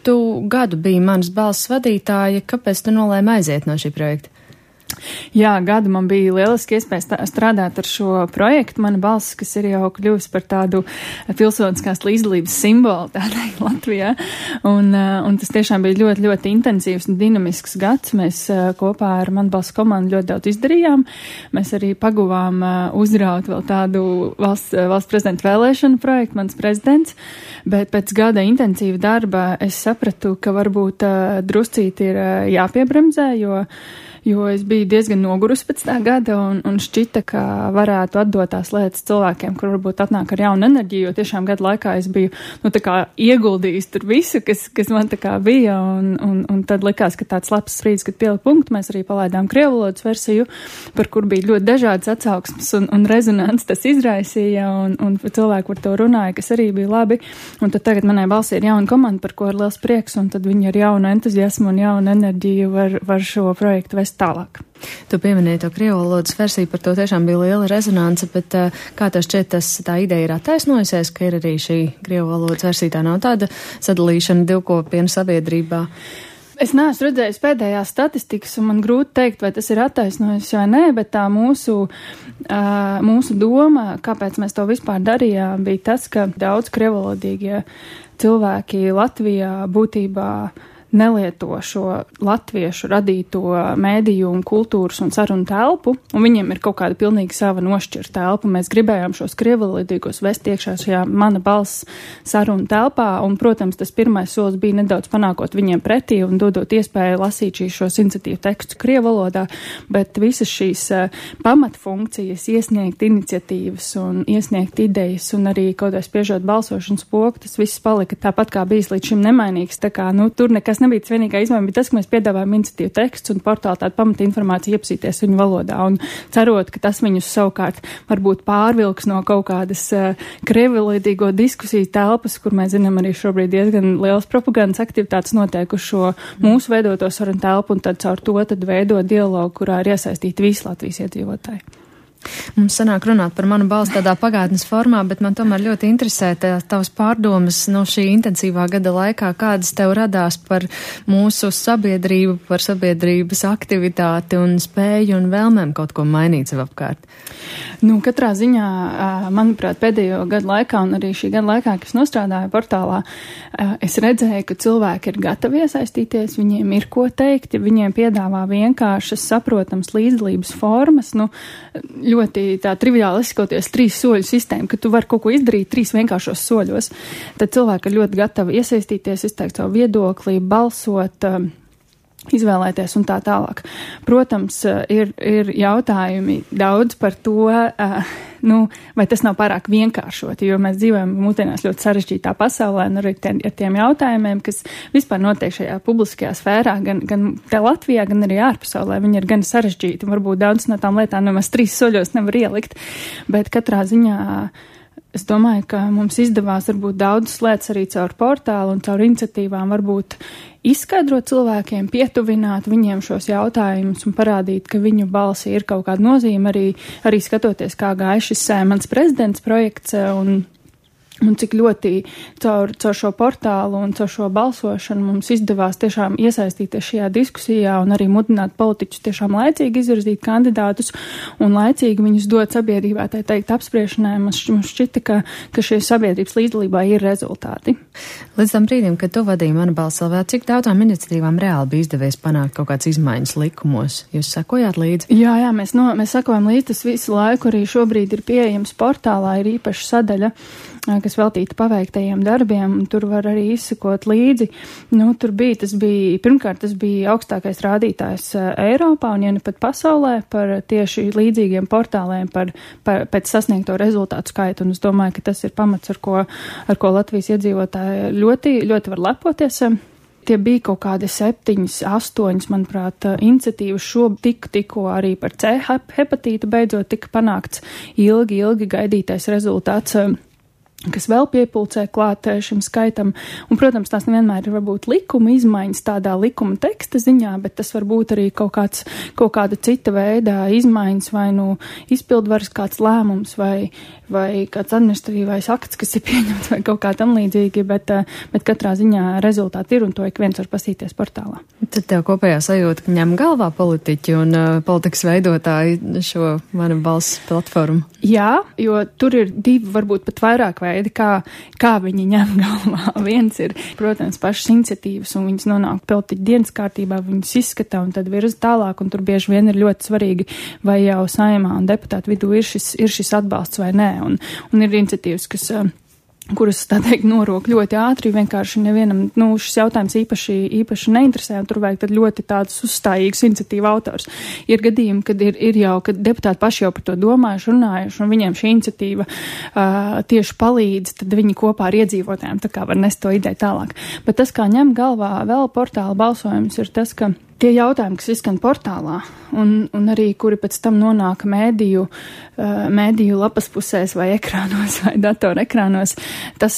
Tu gadu biji Manas balss vadītāja, kāpēc tu nolēmi aiziet no šī projekta? Jā, gadu man bija lieliski iespēja strādāt ar šo projektu. Mana balss, kas ir jau kļuvusi par tādu pilsoniskās līdzdalības simbolu tādai Latvijā. Un tas tiešām bija ļoti, ļoti intensīvs un dinamisks gads. Mēs kopā ar Mana balss komandu ļoti daudz izdarījām. Mēs arī paguvām uzraut vēl tādu valsts prezidenta vēlēšanu projektu, mans prezidents. Bet pēc gada intensīva darba es sapratu, ka varbūt druscīt ir jāpiebremzē, jo es biju diezgan nogurusi pēc tā gada un šķita, ka varētu atdot tās lietas cilvēkiem, kur varbūt atnāk ar jaunu enerģiju, jo tiešām gadu laikā es biju, tā kā ieguldījis tur visu, kas man tā kā bija, un tad likās, ka tāds labs brīdis, kad pielika punktu, mēs arī palaidām krievu valodas versiju, par kur bija ļoti dažādas atsauksmes un rezonants tas izraisīja, un cilvēki par to runāja, kas arī bija labi, un tad tagad manai balsī ir jauna komanda, par ko ir liels prieks, un tad viņi ar jaunu entuziasmu un jaunu enerģiju var šo projektu vest tālāk. Tu pieminēji to krievu valodas versiju, par to tiešām bija liela rezonance, bet kā tev šķiet, tā ideja ir attaisnojusies, ka ir arī šī krievu valodas versija, tā nav tāda sadalīšana divkopienu sabiedrībā? Es neesmu redzējis pēdējās statistikas, un man grūti teikt, vai tas ir attaisnojis vai nē, bet tā mūsu doma, kāpēc mēs to vispār darījām, bija tas, ka daudz krievalodīgie cilvēki Latvijā būtībā nelieto šo latviešu radīto mēdīju un kultūras un sarunu telpu, un viņiem ir kaut kāda pilnīgi sava nošķirta telpa. Mēs gribējām šos krievalodīgos vest iekšā šajā Mana balss sarunu telpā, un, protams, tas pirmais solis bija nedaudz panākot viņiem pretī un dodot iespēju lasīt šos iniciatīvu tekstus krievalodā, bet visas šīs pamatfunkcijas, iesniegt iniciatīvas un iesniegt idejas un arī kaut vai spiežot balsošanas pogu, tas viss palika tāpat kā bijis līdz šim nemainīgs, tā kā, tur nekas nebija tas vienīgā izmaiņa, bet tas, ka mēs piedāvājam iniciatīvu tekstus un portāli tādu pamata informāciju iepazīties viņu valodā un cerot, ka tas viņus savukārt varbūt pārvilks no kaut kādas krievalodīgo diskusiju telpas, kur mēs zinām arī šobrīd diezgan liels propagandas aktivitātes notiek uz šo mūsu veidoto sarunu telpu un tad caur to tad veido dialogu, kurā ir iesaistīti visi Latvijas iedzīvotāji. Mums sanāk runāt par Manu balsi tādā pagātnes formā, bet man tomēr ļoti interesē tavas pārdomas no šī intensīvā gada laikā, kādas tev radās par mūsu sabiedrību, par sabiedrības aktivitāti un spēju un vēlmēm kaut ko mainīt sev apkārt. Katrā ziņā, manuprāt, pēdējo gadu laikā un arī šī gada laikā, kas nostrādāja portālā, es redzēju, ka cilvēki ir gatavi iesaistīties, viņiem ir ko teikt, viņiem piedāvā vienkāršas, saprotams līdzdalības formas, ļoti tā triviāli izsakoties 3 soļu sistēmu, ka tu vari kaut ko izdarīt 3 vienkāršos soļos. Tad cilvēki ir ļoti gatavi iesaistīties, izteikt savu viedokli, balsot, izvēlēties un tā tālāk. Protams, ir jautājumi daudz par to, vai tas nav pārāk vienkāršoti, jo mēs dzīvojam mūsdienās ļoti sarežģītā pasaulē un arī ar tiem jautājumiem, kas vispār notiek šajā publiskajā sfērā, gan te Latvijā, gan arī ārpasaulē. Viņi ir gan sarežģīti, varbūt daudz no tām lietām nemaz 3 soļos nevar ielikt, bet katrā ziņā es domāju, ka mums izdevās varbūt daudzas lietas arī caur portālu un caur iniciatīvām varbūt izskaidrot cilvēkiem, pietuvināt viņiem šos jautājumus un parādīt, ka viņu balsi ir kaut kāda nozīme, arī skatoties, kā gāja šis mans prezidents projekts un cik ļoti caur šo portālu un caur šo balsošanu mums izdevās tiešām iesaistīties šajā diskusijā un arī mudināt politiķus tiešām laicīgi izvirzīt kandidātus un laicīgi viņus dot sabiedrībā, tā teikt, apspriešanai. Mums šķita, ka šie sabiedrības līdzdalībā ir rezultāti. Līdz tam brīdim, kad tu vadīji Mana balss LV, cik daudzām iniciatīvām reāli bija izdevies panākt kaut kādas izmaiņas likumos? Jūs sekojāt līdzi? Jā, mēs sekojam līdzi, tas visu laiku arī šobrīd ir pieejams portālā, ir īpaša sadaļa, kas veltīta paveiktajiem darbiem, un tur var arī izsekot līdzi. Pirmkārt, tas bija augstākais rādītājs Eiropā, un ja ne pat pasaulē, par tieši līdzīgiem portāliem, pēc sasniegto rezultātu skaitu, un es domāju, ka tas ir pamats, ar ko Latvijas iedzīvotāji ļoti, ļoti var lepoties. Tie bija kaut kādi 7, 8, manuprāt, iniciatīvas tikko arī par C hepatītu beidzot tika panākts ilgi gaidītais rezultāts. kas vēl piepulcē klāt šim skaitam. Un, protams, tās nevienmēr ir varbūt likuma izmaiņas tādā likuma teksta ziņā, bet tas var būt arī kaut kāda cita veida izmaiņas, vai izpildvaras kāds lēmums, vai kāds administratīvais akts, kas ir pieņemts, vai kaut kā tam līdzīgi, bet katrā ziņā rezultāti ir, un to ik viens var pasīties portālā. Tad tev kopējā sajūta, ka ņem galvā politiķi un politikas veidotāji šo Mana balss platformu? Jā, jo tur ir divi, varbūt pat vairāk veidi, kā viņi ņem galvā. Viens ir, protams, pašas iniciatīvas, un viņas nonāk politiķu dienas kārtībā, viņas izskata un tad virza tālāk, un tur bieži vien ir ļoti svarīgi, vai jau Saeimā un deputātu vidū ir šis atbalsts vai nē, un ir iniciatīvas, kuras, tā teikt, norok ļoti ātri, vienkārši nevienam, šis jautājums īpaši neinteresē, un tur vajag tad ļoti tādus uzstājīgus iniciatīvu autors. Ir gadījumi, kad ir jau, kad deputāti paši jau par to domājuši, runājuši, un viņiem šī iniciatīva tieši palīdz, tad viņi kopā ar iedzīvotājiem tā kā var nest to ideju tālāk. Bet tas, kā ņem galvā vēl portāla balsojums, ir tas, ka tie jautājumi, kas izskan portālā, un arī, kuri pēc tam nonāk mēdīju lapas pusēs vai ekrānos vai datora ekrānos, tas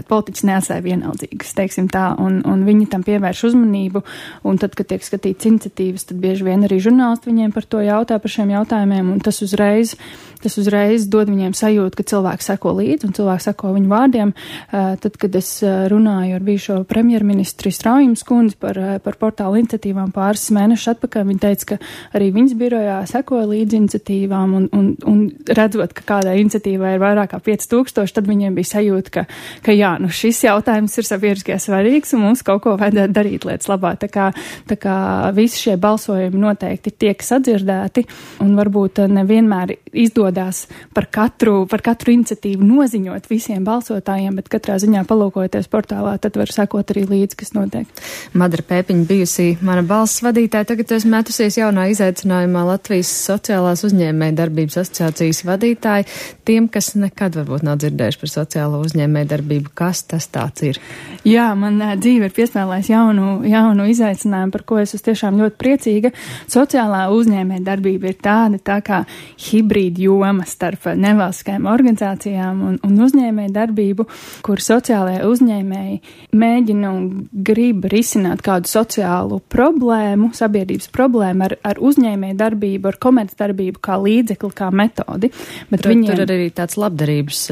politiķis neatstāja vienaldzīgas, teiksim tā, un viņi tam pievērš uzmanību, un tad, kad tiek skatīts iniciatīvas, tad bieži vien arī žurnālisti viņiem par to jautā, par šiem jautājumiem, un tas uzreiz dod viņiem sajūtu, ka cilvēki seko līdzi, un cilvēki seko viņu vārdiem. Tad, kad es runāju ar bijušo premjerministri Straujums kundzi par portālu iniciatīvām pāris mēnešus atpakaļ, viņa teica, ka arī viņas birojā sekoja līdzi iniciatīvām, un redzot, ka kādai iniciatīvai ir vairāk kā 5000, tad viņiem bija sajūta, ka jā, šis jautājums ir sabiedriskajā svarīgs, un mums kaut ko vajadzētu darīt lietas labā. Tā kā visi šie balsojumi noteikti tiek sadzirdēti, un varbūt nevienmēr izdodās par katru iniciatīvu noziņot visiem balsotājiem, bet katrā ziņā palūkojoties portālā, tad var sekot arī līdzi, kas notiek. Madara Pēpiņa bijusī Mana balss vadītāja, tagad esmu metusies jaunā izaicinājumā Latvijas sociālās uzņēmēju darbības asociācijas vadītāja. Tiem, kas nekad varbūt nav dzirdējuši par sociālo uzņēmēju darbību, kas tas tāds ir? Jā, man dzīve ir piespēlējis jaunu izaicinājumu, par ko es esmu tiešām ļoti priecīga. Sociālā uzņēmēju darbība ir tā kā hibrīda joma starp nevalstiskajām organizācijām un uzņēmēju darbību, kur sociālajie uzņēmēji mēģina un grib risināt kādu sociālu problēmu, sabiedrības problēmu ar uzņēmēju darbību, ar komerc darbību kā līdzekli, kā metodi. Bet tur ir arī tāds labdarības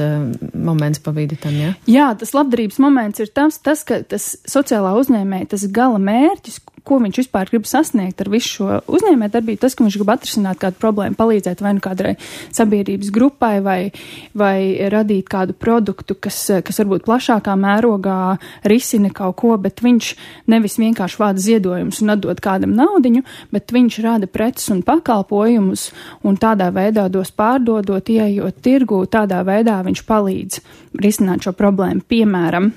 moments pa vidu tam, ja? Jā, tas labdarības moments ir tas, ka tas sociālā uzņēmēja, tas gala mērķis, ko viņš vispār grib sasniegt ar visu šo uzņēmēju darbību, tas, ka viņš grib atrisināt kādu problēmu, palīdzēt vai kādai sabiedrības grupai vai radīt kādu produktu, kas varbūt plašākā mērogā risina kaut ko, bet viņš nevis vienkārši vāda ziedojumus un atdod kādam naudiņu, bet viņš rada preces un pakalpojumus un tādā veidā dos pārdodot, ieejot tirgū, tādā veidā viņš palīdz risināt šo problēmu. Piemēram,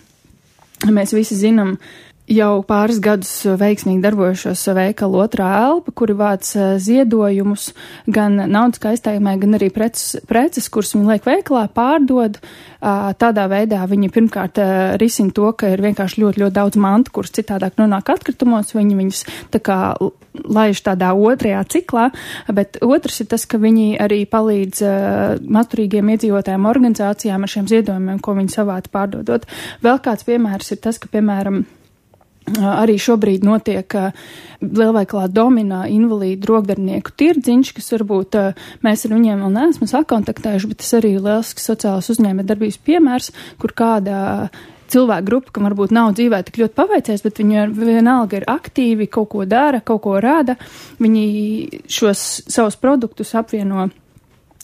mēs visi zinām, jau pāris gadus veiksmīgi darbojušos veikalu Otrā elpa, kuri vāc ziedojumus gan naudas kaistējumai, gan arī preces, kuras viņi liek veikalā, pārdod. Tādā veidā viņi pirmkārt risina to, ka ir vienkārši ļoti, ļoti daudz mantu, kuras citādāk nonāk atkritumos, viņi viņus tā kā laiž tādā otrajā ciklā, bet otrs ir tas, ka viņi arī palīdz mazturīgiem iedzīvotājiem organizācijām ar šiem ziedojumiem, ko viņi savādi pārdodot. Vēl kāds piemērs ir tas, ka, piemēram, arī šobrīd notiek lielveikalā Domina invalīdu rokdarbinieku tirdziņš, kas varbūt mēs ar viņiem vēl neesam sakontaktējuši, bet tas arī ir liels sociālās uzņēmē darbības piemērs, kur kāda cilvēku grupa, kam varbūt nav dzīvē tik ļoti paveicies, bet viņi vienalga ir aktīvi, kaut ko dara, kaut ko rada. Viņi šos savus produktus apvieno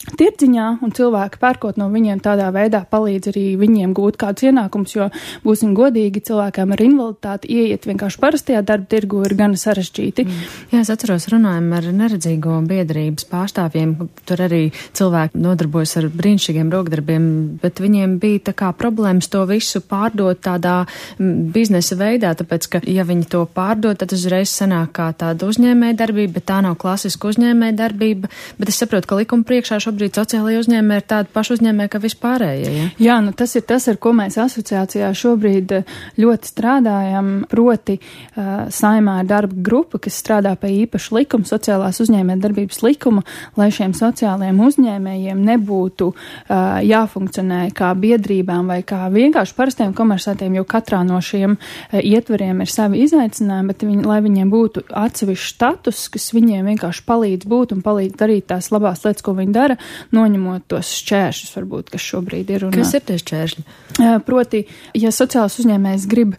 tirdziņā, un cilvēki pērkot no viņiem tādā veidā palīdz arī viņiem gūt kādus ienākumus, jo būsim godīgi, cilvēkām ar invaliditāti ieiet vienkārši parastajā darba tirgu ir gan sarežģīti. Jā, es atceros, runājam ar neredzīgo biedrības pārstāvjiem, tur arī cilvēki nodarbojas ar brīnišķīgiem rokdarbiem, bet viņiem bija tā kā problēmas to visu pārdot tādā biznesa veidā, tāpēc, ka ja viņi to pārdod, tad uzreiz sanāk kā tāda uzņēmēja darbība, bet tā nav klasiska uzņēmēja darbība, bet es saprotu, ka likuma priekšā šo šobrīd sociālajie uzņēmēji ir tādi paši uzņēmēji, kā vispārējie, ja? Jā, nu tas ir tas, ar ko mēs asociācijā šobrīd ļoti strādājam, proti Saeimā ir darba grupa, kas strādā pie īpaša likuma, sociālās uzņēmējdarbības likuma, lai šiem sociālajiem uzņēmējiem nebūtu jāfunkcionē kā biedrībām vai kā vienkārši parastiem komersantiem, jo katrā no šiem ietvariem ir savi izaicinājumi, bet lai viņiem būtu atsevišķs status, kas viņiem vienkārši palīdz būt un palīdz darīt tās labās lietas, ko viņi dara, noņemot tos šķēršļus, varbūt, kas šobrīd ir. Kas ir tie šķēršļi? Proti, ja sociāls uzņēmējs grib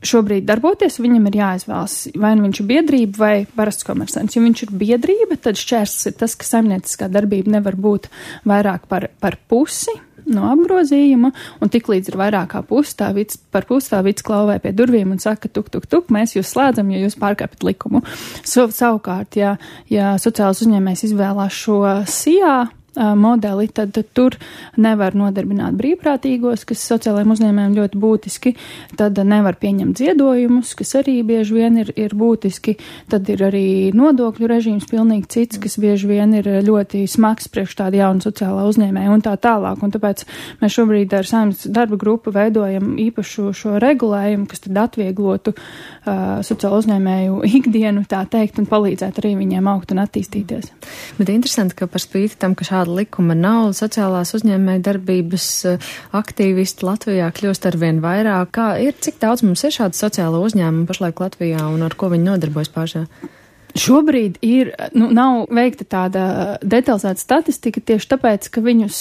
šobrīd darboties, viņam ir jāizvēlas, vai nu viņš ir biedrība vai parasts komersants. Ja viņš ir biedrība, tad šķērslis ir tas, ka saimnieciskā darbība nevar būt vairāk par pusi no apgrozījuma, un tiklīdz ir vairāk kā pusi, par pusi tā vids klauvē pie durvīm un saka, tuk, mēs jūs slēdzam, jo jūs pārkāpjat likumu. Savukārt, ja sociāls uzņēmējs izvēlās šo SIA modeli, tad tur nevar nodarbināt brīvprātīgos, kas sociālajiem uzņēmējiem ļoti būtiski, tad nevar pieņemt ziedojumus, kas arī bieži vien ir būtiski, tad ir arī nodokļu režīms pilnīgi cits, kas bieži vien ir ļoti smags priekš tāda jauna sociālā uzņēmēja un tā tālāk, un tāpēc mēs šobrīd ar Saeimas darba grupu veidojam īpašu šo regulējumu, kas tad atvieglotu sociālo uzņēmēju ikdienu, tā teikt, un palīdzētu arī viņiem augt un attīstīties. Bet interesanti, ka par spīti tam, ka šāda likuma nav, sociālās uzņēmēja darbības aktīvisti Latvijā kļūst arvien vairāk. Cik daudz mums ir šādu sociālo uzņēmumu pašlaik Latvijā un ar ko viņi nodarbojas pašā? Šobrīd nav veikta tāda detalizēta statistika tieši tāpēc, ka viņus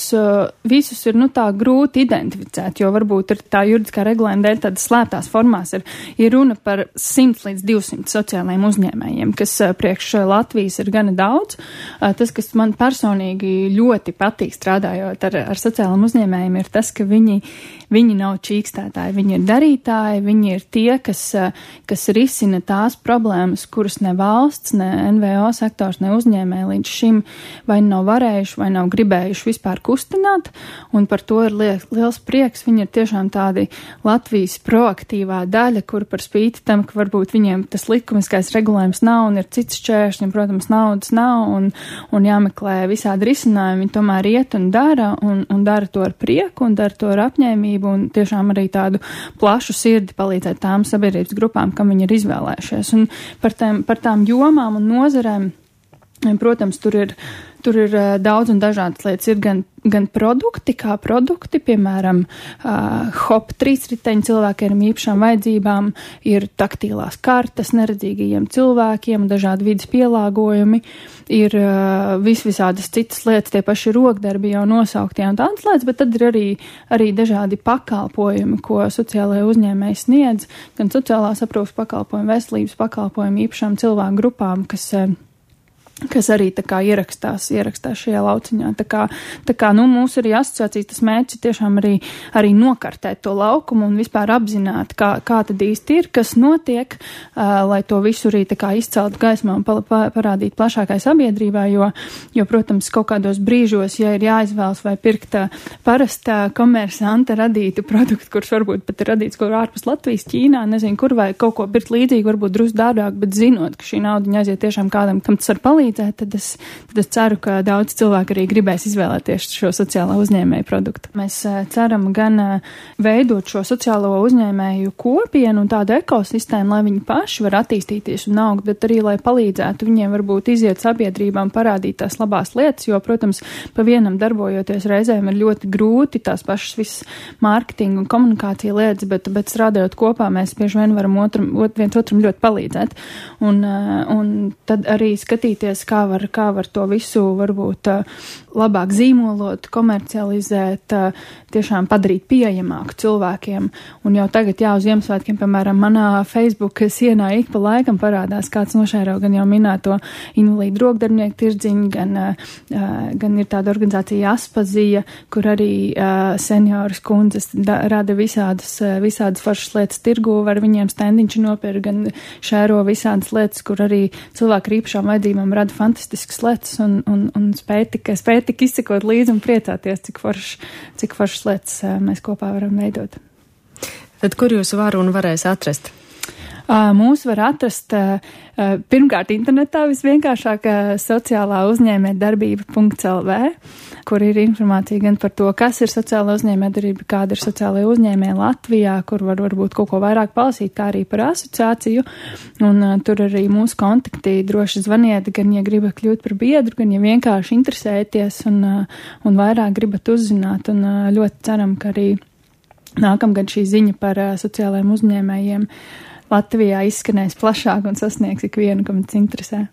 visus ir tā grūti identificēt, jo varbūt ir tā juridiskā regulējuma dēļ tādas slēptās formās ir runa par 100 līdz 200 sociālajiem uzņēmējiem, kas priekš Latvijas ir gana daudz. Tas, kas man personīgi ļoti patīk strādājot ar sociālajiem uzņēmējiem, ir tas, ka viņi nav čīkstētāji, viņi ir darītāji, viņi ir tie, kas risina tās problēmas, kuras ne valsts, ne NVO sektors, ne uzņēmēji līdz šim vai nav varējuši, vai nav gribējuši vispār kustināt, un par to ir liels prieks. Viņi ir tiešām tādi Latvijas proaktīvā daļa, kur par spīti tam, ka varbūt viņiem tas likumiskais regulējums nav un ir cits šķēršļi, un, protams, naudas nav un jāmeklē visādi risinājumi, viņi tomēr iet un dara to ar prieku un dara to ar apņēmību un tiešām arī tādu plašu sirdi palīdzēt tām sabiedrības grupām, kam viņi ir izvēlējušies. Un par tām jomām un nozarēm, protams, tur ir daudz un dažādas lietas. Ir gan produkti, kā produkti, piemēram, hop trīsriteņi cilvēkiem ar īpašām vajadzībām, ir taktīlās kartes neredzīgajiem cilvēkiem, dažādi vidas pielāgojumi, ir visādas citas lietas, tie paši rokdarbi jau nosauktie un tādas lietas, bet tad ir arī dažādi pakalpojumi, ko sociālajie uzņēmēji sniedz, gan sociālās aprūpes pakalpojumi, veselības pakalpojumi īpašām cilvēku grupām, kas arī tā kā ierakstās šajā lauciņā. Tā kā mūsu arī asociācijas tas mērķis ir tiešām arī nokartēt to laukumu un vispār apzināt, kā tad īsti ir, kas notiek, lai to visu arī tā kā izcelt gaismā un parādīt plašākai sabiedrībai, jo, protams, kaut kādos brīžos, ja ir jāizvēlas vai pirkt parasta komersanta radītu produktu, kurš varbūt pat ir radīts kur ārpus Latvijas, Ķīnā, nezinu kur, vai kaut ko pirkt līdzīgi, varbūt drusku dārgāk, bet zinot, ka šī naudiņa aiziet tiešām kādam, kam tas var palīdzēt, tad es ceru, ka daudz cilvēku arī gribēs izvēlēties šo sociālā uzņēmēju produktu. Mēs ceram gan veidot šo sociālo uzņēmēju kopienu un tādu ekosistēmu, lai viņi paši var attīstīties un augt, bet arī, lai palīdzētu viņiem varbūt iziet sabiedrībām, parādīt tās labās lietas, jo, protams, pa vienam darbojoties reizēm ir ļoti grūti tās pašas visas mārketinga un komunikācija lietas, bet strādājot kopā, mēs bieži vien varam viens otram ļoti palīdzēt. Un tad arī skatīties, kā var to visu varbūt labāk zīmolot, komercializēt, tiešām padarīt pieejamāku cilvēkiem. Un jau tagad uz Ziemassvētkiem, piemēram, manā Facebook sienā ik pa laikam parādās kāds nošēro gan jau minēto invalīdu rokdarbnieku tirdziņu, gan ir tāda organizācija Aspazija, kur arī senioras kundzes rada visādas foršas lietas tirgu, var viņiem stendiņš nopirkt, gan šēro visādas lietas, kur arī cilvēki ar īpašām vajadzībām rada fantastiskas lietas un spēj tik izsekot līdzi un priecāties, cik foršas lietas mēs kopā varam veidot. Tad kur jūs varu un varēs atrast? Mūs var atrast pirmkārt internetā visvienkāršāk sociālā uzņēmējdarbība.lv, kur ir informācija gan par to, kas ir sociāla uzņēmējdarbība, kāda ir sociālajā uzņēmē Latvijā, kur var varbūt kaut ko vairāk palasīt, kā arī par asociāciju. Un tur arī mūsu kontakti droši zvaniet, gan ja gribat kļūt par biedru, gan ja vienkārši interesēties un vairāk gribat uzzināt. Un ļoti ceram, ka arī nākamgad šī ziņa par sociālajiem uzņēmējiem Latvijā izskanēs plašāk un sasniegs ikvienu, kam tas interesē.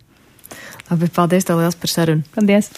Labi, paldies tev liels par sarunu. Paldies!